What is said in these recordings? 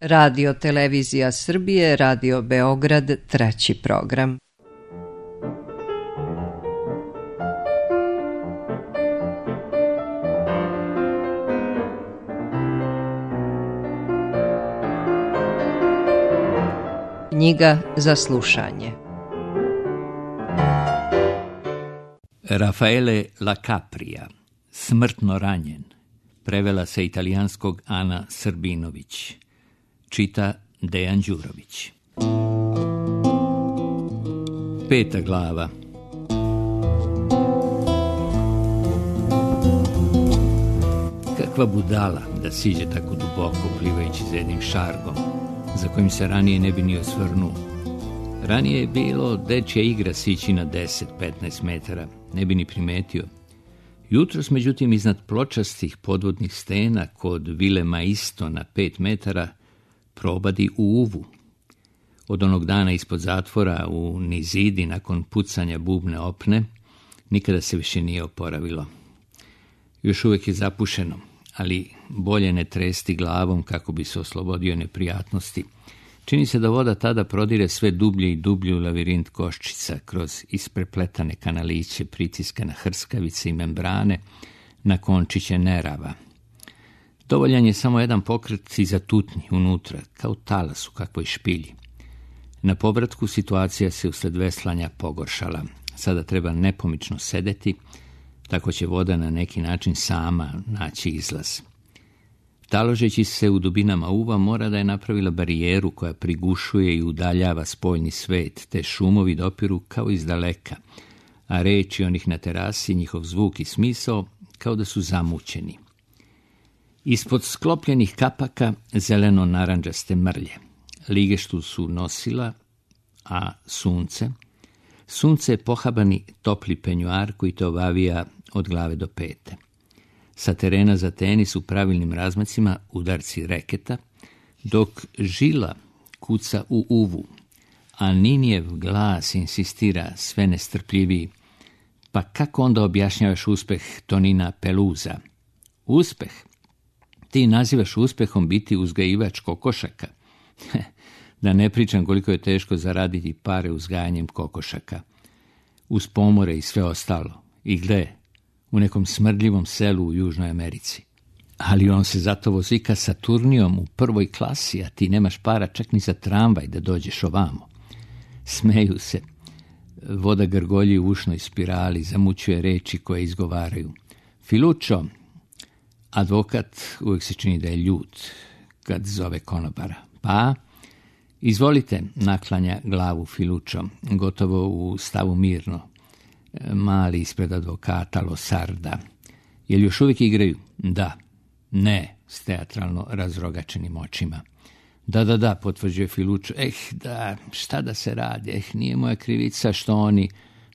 Radio Televizija Srbije, Radio Beograd, treći program. Knjiga za slušanje. Raffaele La Capria, Smrtno ranjen, prevela sa italijanskog Ana Srbinović, čita Dejan Đurović. 5. glava. Kakva budala da siđe tako duboko plivajući za jednim šargom, za kojim se ranije ne bi ni osvrnuo. Ranije je bilo dečja igra sići na 10-15 metara, ne bi ni primetio. Jutros, međutim, iznad pločastih podvodnih stena kod vile Maisto na 5 metara probadi u uvu. Od onog dana ispod zatvora u Nizidi nakon pucanja bubne opne nikada se više nije oporavilo. Još uvijek je zapušeno, ali bolje ne tresti glavom kako bi se oslobodio neprijatnosti. Čini se da voda tada prodire sve dublje i dublje u lavirint koščica kroz isprepletane kanaliće, pritiska na hrskavice i membrane, na končiće nerava. Dovoljan je samo jedan pokret i zatutnji unutra, kao talas u kakvoj špilji. Na povratku situacija se usled veslanja pogoršala. Sada treba nepomično sedeti, tako će voda na neki način sama naći izlaz. Taložeći se u dubinama uva mora da je napravila barijeru koja prigušuje i udaljava spoljni svet, te šumovi dopiru kao iz daleka, a reči onih na terasi, njihov zvuk i smisao kao da su zamućeni. Ispod sklopljenih kapaka zeleno-naranđaste mrlje. Ligeštu su nosila, a sunce je pohabani topli penjuar koji te obavija od glave do pete. Sa terena za tenis u pravilnim razmacima udarci reketa, dok žila kuca u uvu, a Ninijev glas insistira sve nestrpljiviji. Pa kako onda objašnjavaš uspeh Tonina Peluza? Uspeh? Ti nazivaš uspehom biti uzgajivač kokošaka? Da ne pričam koliko je teško zaraditi pare uzgajanjem kokošaka. Uz pomore i sve ostalo. I gle, u nekom smrdljivom selu u Južnoj Americi. Ali on se zato vozika Saturnijom u 1. klasi, a ti nemaš para čak ni za tramvaj da dođeš ovamo. Smeju se. Voda grgolji u ušnoj spirali, zamućuje reči koje izgovaraju. Filučo, advokat uvijek se čini da je ljut kad zove konobara. Pa, izvolite, naklanja glavu Filučo, gotovo u stavu mirno. Mali ispred advokata Losarda. Jel još uvijek igraju? Da. Ne, s teatralno razrogačenim očima. Da, potvrđuje Filučo. Da, šta da se radi? Nije moja krivica što oni...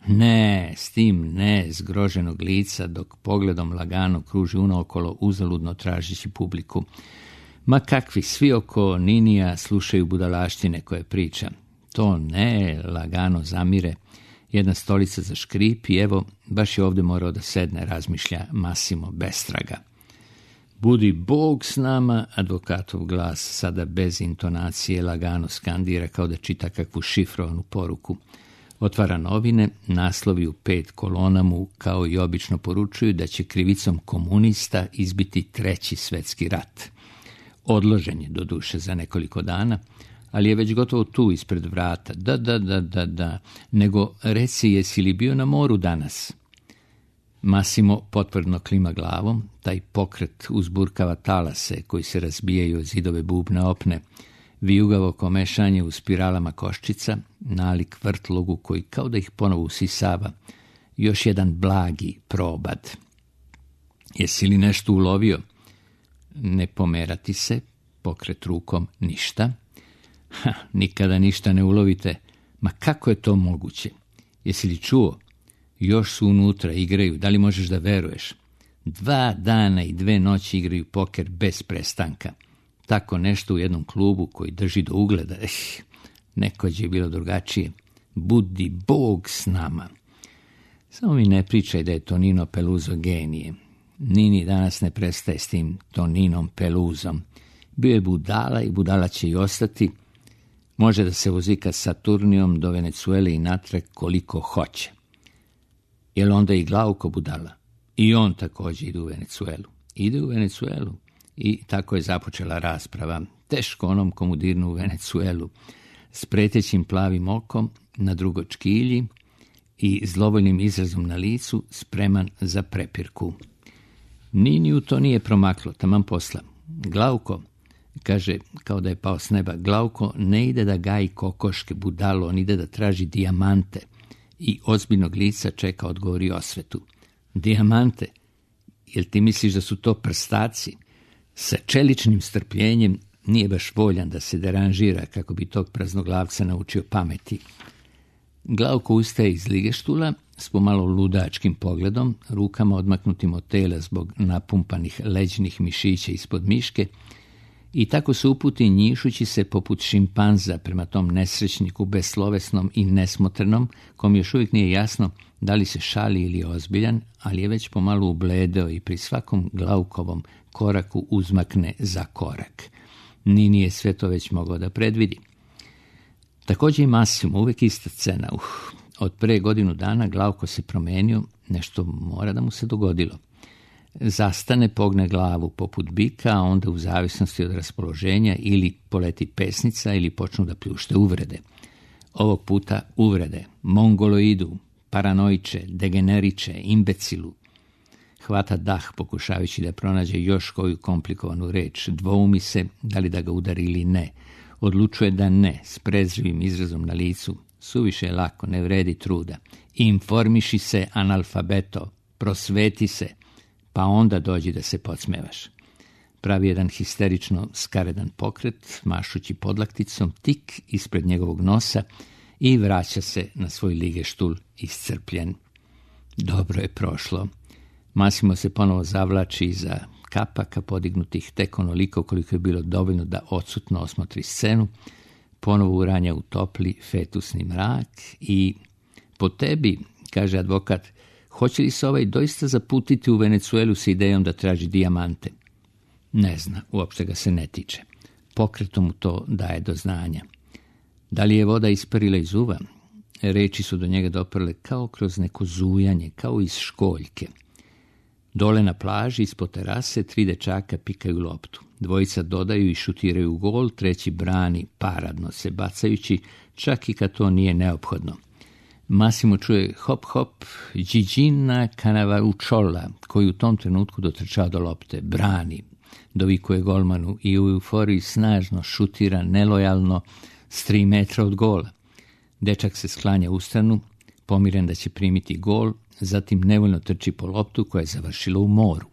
Ne, s tim ne, zgroženog lica, dok pogledom lagano kruži unaokolo, uzaludno tražići publiku. Ma kakvi, svi oko Ninija slušaju budalaštine koje priča. To ne, lagano zamire. Jedna stolica zaškripi, evo, baš je ovdje morao da sedne, razmišlja Massimo bestraga. Budi Bog s nama, advokatov glas, sada bez intonacije, lagano skandira kao da čita kakvu šifrovanu poruku. Otvara novine, naslovi u 5 kolona mu, kao i obično, poručuju da će krivicom komunista izbiti 3. svjetski rat. Odložen je, doduše, za nekoliko dana, ali je već gotovo tu ispred vrata. Da, nego reci, jesi li bio na moru danas? Massimo potvrdno klima glavom, taj pokret uzburkava talase koji se razbijaju od zidove bubne opne, vijugavo komešanje u spiralama koščica, nalik vrtlogu koji kao da ih ponovo usisava, još jedan blagi probad. Jesi li nešto ulovio? Ne pomerati se, pokret rukom, ništa. Nikada ništa ne ulovite. Ma kako je to moguće? Jesi li čuo? Još su unutra, igraju, da li možeš da veruješ? 2 dana i 2 noći igraju poker bez prestanka. Tako nešto u jednom klubu koji drži do ugleda. Nekođe je bilo drugačije. Budi Bog s nama. Samo mi ne pričaj da je Tonino Peluzo genije. Nini danas ne prestaje s tim Toninom Peluzom. Bio je budala i budala će i ostati. Može da se vozika Saturnijom do Venecuele i natrag koliko hoće. Jel onda i Glauko budala? I on također ide u Venecuelu. Ide u Venecuelu. I tako je započela rasprava. Teško onom komu dirnu u Venecuelu. S pretećim plavim okom na drugoj škilji i zlovoljnim izrazom na licu, spreman za prepirku. Niniju to nije promaklo, taman posla. Glauko, kaže, kao da je pao s neba, Glauko ne ide da gaji kokoške, budalo, on ide da traži dijamante. I ozbiljnog lica čeka odgovori osvetu. Dijamante? Jel ti misliš da su to prstaci? Sa čeličnim strpljenjem nije baš voljan da se deranžira kako bi tog praznoglavca naučio pameti. Glauko ustaje iz ligeštula s pomalo ludačkim pogledom, rukama odmaknutim od tela zbog napumpanih leđnih mišića ispod miške i tako se uputi njišući se poput šimpanza prema tom nesrećniku beslovesnom i nesmotrenom, kom još uvijek nije jasno da li se šali ili je ozbiljan, ali je već pomalo ubledeo i pri svakom Glaukovom koraku uzmakne za korak. Nini je sve to već mogao da predvidi. Također i Massimo, uvijek ista scena. Od pre godinu dana Glauko se promenio, nešto mora da mu se dogodilo. Zastane, pogne glavu poput bika, a onda u zavisnosti od raspoloženja ili poleti pesnica ili počnu da pljušte uvrede. Ovog puta uvrede, mongoloidu, paranoiče, degeneriče, imbecilu. Hvata dah pokušavajući da pronađe još koju komplikovanu reč, dvoumi se da li da ga udari ili ne. Odlučuje da ne, s prezrivim izrazom na licu. Suviše je lako, ne vredi truda. Informiši se, analfabeto, prosveti se, pa onda dođi da se podsmevaš. Pravi jedan histerično skaredan pokret, mašući podlakticom tik ispred njegovog nosa i vraća se na svoj ligeštul iscrpljen. Dobro je prošlo. Massimo se ponovo zavlači iza kapaka podignutih tek onoliko koliko je bilo dovoljno da odsutno osmotri scenu, ponovo uranja u topli fetusni mrak i po tebi, kaže advokat, hoće li se ovaj doista zaputiti u Venecuelu s idejom da traži dijamante? Ne zna, uopšte ga se ne tiče. Pokretom mu to daje do znanja. Da li je voda isparila iz uva? Reči su do njega doprle kao kroz neko zujanje, kao iz školjke. Dole na plaži, ispod terase, 3 dečaka pikaju loptu. Dvojica dodaju i šutiraju u gol, treći brani paradno se bacajući, čak i kad to nije neophodno. Massimo čuje hop hop, Gigina Canavaruciola, koji u tom trenutku dotrčao do lopte, brani, dovikuje golmanu i u euforiji snažno šutira nelojalno s 3 metra od gola. Dečak se sklanja u stranu, pomiren da će primiti gol, zatim nevoljno trči po loptu koja je završila u moru.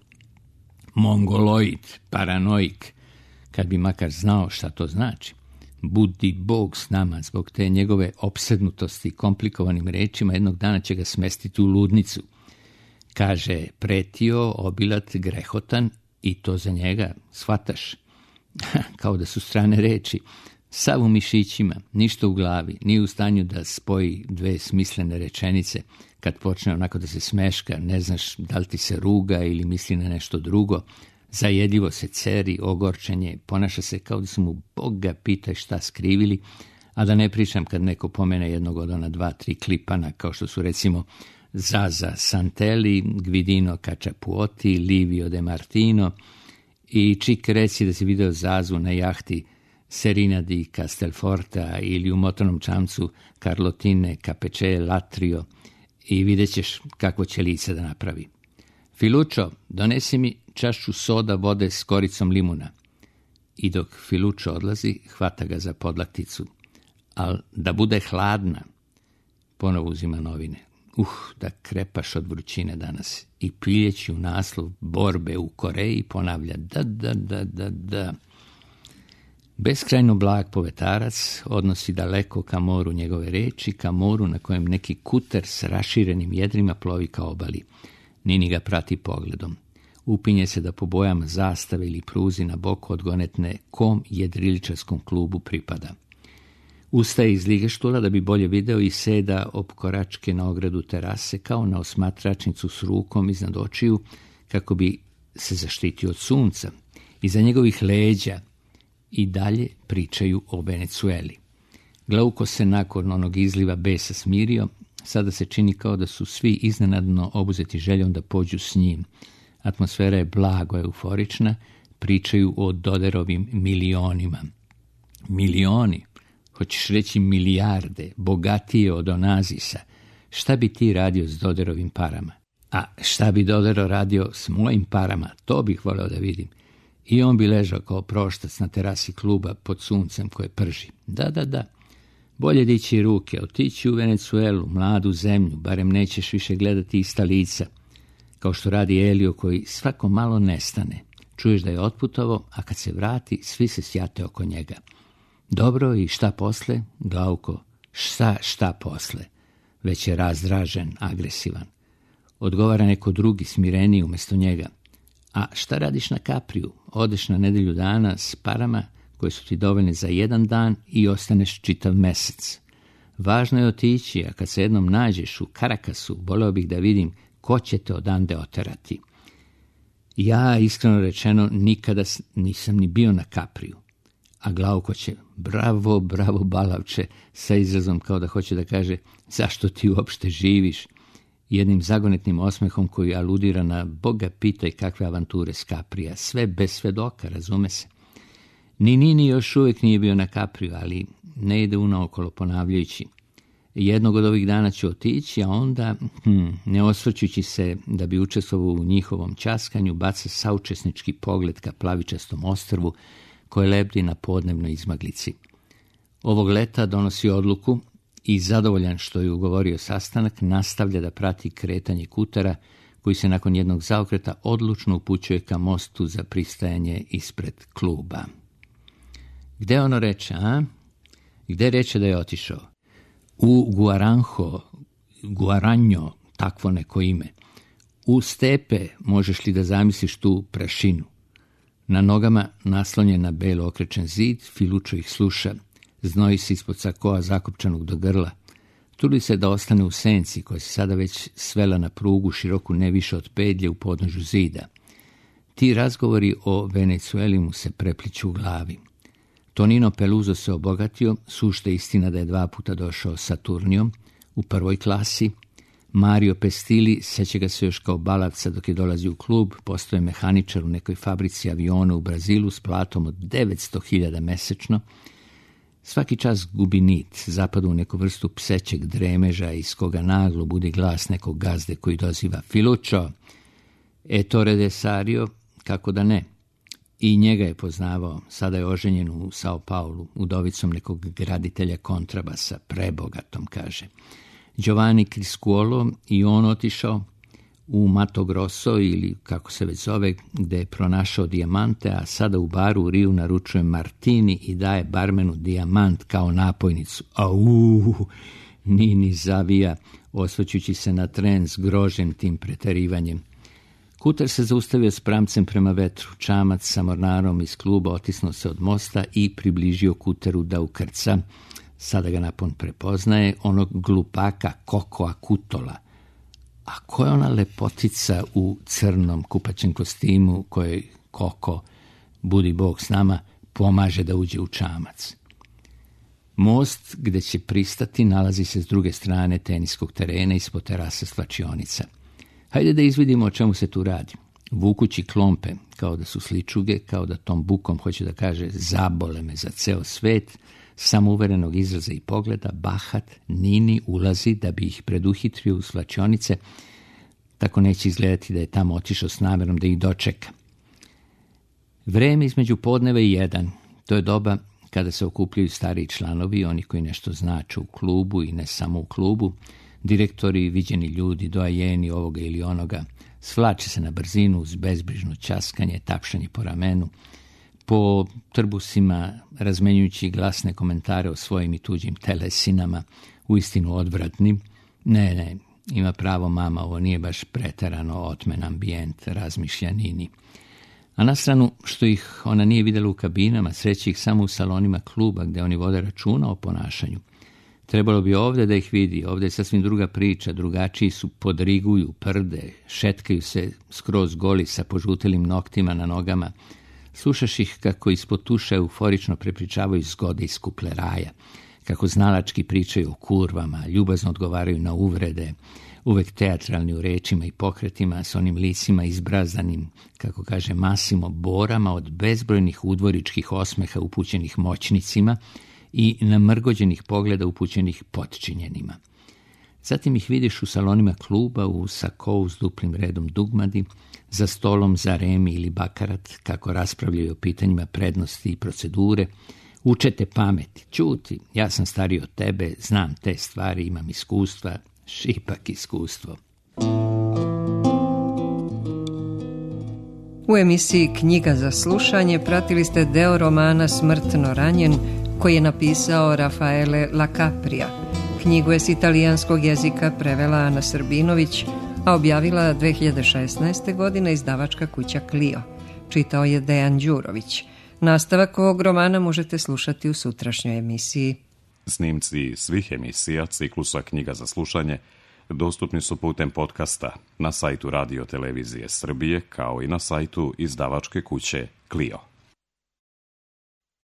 Mongoloid, paranoik, kad bi makar znao šta to znači. Budi Bog s nama, zbog te njegove opsednutosti komplikovanim rečima jednog dana će ga smestiti u ludnicu. Kaže, pretio, obilat, grehotan i to za njega, shvataš? Kao da su strane reči. Sav u mišićima, ništa u glavi, nije u stanju da spoji 2 smislene rečenice. Kad počne onako da se smeška, ne znaš da li ti se ruga ili misli na nešto drugo. Zajedljivo se ceri, ogorčenje, ponaša se kao da su mu Boga pitaj šta skrivili, a da ne pričam kad neko pomene jednog od ona 2-3 klipana, kao što su recimo Zaza Santelli, Gvidino Cacciapuoti, Livio De Martino i čik reci da si video Zazu na jahti Serina di Castelforta ili u motornom čamcu Carlotine Capece Latrio i vidjet ćeš kakvo će lice da napravi. Filučo, donesi mi čašu soda vode s koricom limuna. I dok Filučo odlazi, hvata ga za podlakticu. Al da bude hladna. Ponovo uzima novine. Da krepaš od vrućine danas. I piljeći u naslov borbe u Koreji ponavlja da. Beskrajno blag povetarac odnosi daleko ka moru njegove reči, ka moru na kojem neki kuter s raširenim jedrima plovi ka obali. Nini ga prati pogledom. Upinje se da po bojama zastave ili pruzi na boku odgonetne kom jedriličarskom klubu pripada. Ustaje iz ligeštula da bi bolje video i seda opkoračke na ogradu terase kao na osmatračnicu s rukom iznad očiju kako bi se zaštitio od sunca. Iza njegovih leđa i dalje pričaju o Venecueli. Glauko se nakon onog izliva besa smirio, sada se čini kao da su svi iznenadno obuzeti željom da pođu s njim. Atmosfera je blago euforična, pričaju o Doderovim milionima. Milioni, hoćeš reći milijarde, bogatije od Onazisa. Šta bi ti radio s Doderovim parama? A šta bi Dodero radio s mojim parama? To bih voleo da vidim. I on bi ležao kao proštac na terasi kluba pod suncem koje prži. Da. Bolje dići ruke, otići u Venecuelu, mladu zemlju, barem nećeš više gledati ista lica. Kao što radi Elio koji svako malo nestane. Čuješ da je otputovao, a kad se vrati, svi se sjate oko njega. Dobro, i šta posle? Glauko, šta posle? Već je razdražen, agresivan. Odgovara neko drugi, smireniji umjesto njega. A šta radiš na Kapriju? Odeš na nedelju dana s parama koje su ti dovoljne za jedan dan i ostaneš čitav mesec. Važno je otići, a kad se jednom nađeš u Karakasu, voleo bih da vidim ko će te odande oterati. Ja, iskreno rečeno, nikada nisam ni bio na Kapriju. A Glauko će, bravo, balavče, sa izrazom kao da hoće da kaže zašto ti uopšte živiš, jednim zagonetnim osmehom koji aludira na Boga pitaj kakve avanture s Kaprija, sve bez svedoka, razume se. Ni Nini još uvijek nije bio na Kapriju, ali ne ide unaokolo ponavljajući. Jednog od ovih dana ću otići, a onda, ne osvrćući se da bi učestvovao u njihovom ćaskanju, baca saučesnički pogled ka plavičastom ostrvu koje lebdi na podnebnoj izmaglici. Ovog leta donosi odluku i zadovoljan što je ugovorio sastanak, nastavlja da prati kretanje Kutera, koji se nakon jednog zaokreta odlučno upućuje ka mostu za pristajanje ispred kluba. Gde ono reče, a? Gde reče da je otišao? U Guaranjo, takvo neko ime. U stepe možeš li da zamisliš tu prašinu? Na nogama naslonjen na belo okrečen zid, Filučo ih sluša, znoji se ispod sakoa zakopčanog do grla. Trudi se da ostane u senci koja se sada već svela na prugu široku ne više od pedlje u podnožju zida. Ti razgovori o Venecueli mu se prepliću u glavi. Tonino Peluso se obogatio, sušta istina da je 2 puta došao sa Turnijom u prvoj klasi. Mario Pestili, seća ga se još kao balavca dok je dolazio u klub, postao je mehaničar u nekoj fabrici aviona u Brazilu s platom od 900.000 mesečno. Svaki čas gubi nit, zapada u neku vrstu psećeg dremeža iz koga naglo budi glas nekog gazde koji doziva Filučo, Ettore de Sario, kako da ne. I njega je poznavao, sada je oženjen u Sao Paulu, udovicom nekog graditelja kontrabasa, prebogatom, kaže. Giovanni Criscuolo i on otišao u Mato Grosso ili kako se već zove, gde je pronašao dijamante, a sada u baru u Riju naručuje martini i daje barmenu dijamant kao napojnicu. Nini zavija, osvrćući se na tren s grožem tim preterivanjem. Kuter se zaustavio s pramcem prema vetru. Čamac sa mornarom iz kluba otisnuo se od mosta i približio Kuteru da ukrca. Sada ga napon prepoznaje, onog glupaka Kokoa Kutola. A ko je ona lepotica u crnom kupaćem kostimu kojoj Koko, budi Bog s nama, pomaže da uđe u čamac? Most gde će pristati nalazi se s druge strane teniskog terena ispod terase svlačionica. Hajde da izvidimo o čemu se tu radi. Vukući klompe, kao da su sličuge, kao da tom bukom hoće da kaže zabole me za ceo svet, samouverenog izraza i pogleda, bahat, Nini ulazi da bi ih preduhitrio u svlačionice, tako neće izgledati da je tamo otišao s namerom da ih dočeka. Vreme između podneva i 1, to je doba kada se okupljaju stariji članovi, oni koji nešto znače u klubu i ne samo u klubu, direktori, viđeni ljudi, doajeni ovoga ili onoga, svlače se na brzinu uz bezbrižno ćaskanje, tapšanje po ramenu, po trbusima razmenjujući glasne komentare o svojim i tuđim telesinama, uistinu odvratnim. Ne, ima pravo mama, ovo nije baš preterano otmen ambijent, razmišlja Nini. A na stranu što ih ona nije vidjela u kabinama, sreće ih samo u salonima kluba gdje oni vode računa o ponašanju. Trebalo bi ovdje da ih vidi, ovdje je sasvim druga priča, drugačiji su, podriguju, prde, šetkaju se skroz goli sa požutelim noktima na nogama, Slušaš ih kako ispod tuša euforično prepričavaju zgode iz kupleraja, kako znalački pričaju o kurvama, ljubazno odgovaraju na uvrede, uvek teatralni u rečima i pokretima, s onim licima izbrazanim, kako kaže Massimo, borama od bezbrojnih udvoričkih osmeha upućenih moćnicima i namrgođenih pogleda upućenih potčinjenima. Zatim ih vidiš u salonima kluba, u sakou s duplim redom dugmadi, za stolom za remi ili bakarat, kako raspravljaju o pitanjima prednosti i procedure, učete pameti, čuti, ja sam stariji od tebe, znam te stvari, imam iskustva, šipak iskustvo. U emisiji Knjiga za slušanje pratili ste deo romana Smrtno ranjen, koji je napisao Rafaele Lacaprija. Knjigu je s italijanskog jezika prevela Ana Srbinović, a objavila 2016. godine izdavačka kuća Clio. Čitao je Dejan Đurović. Nastavak ovog romana možete slušati u sutrašnjoj emisiji. Snimci svih emisija ciklusa Knjiga za slušanje dostupni su putem podcasta na sajtu Radio Televizije Srbije, kao i na sajtu izdavačke kuće Clio.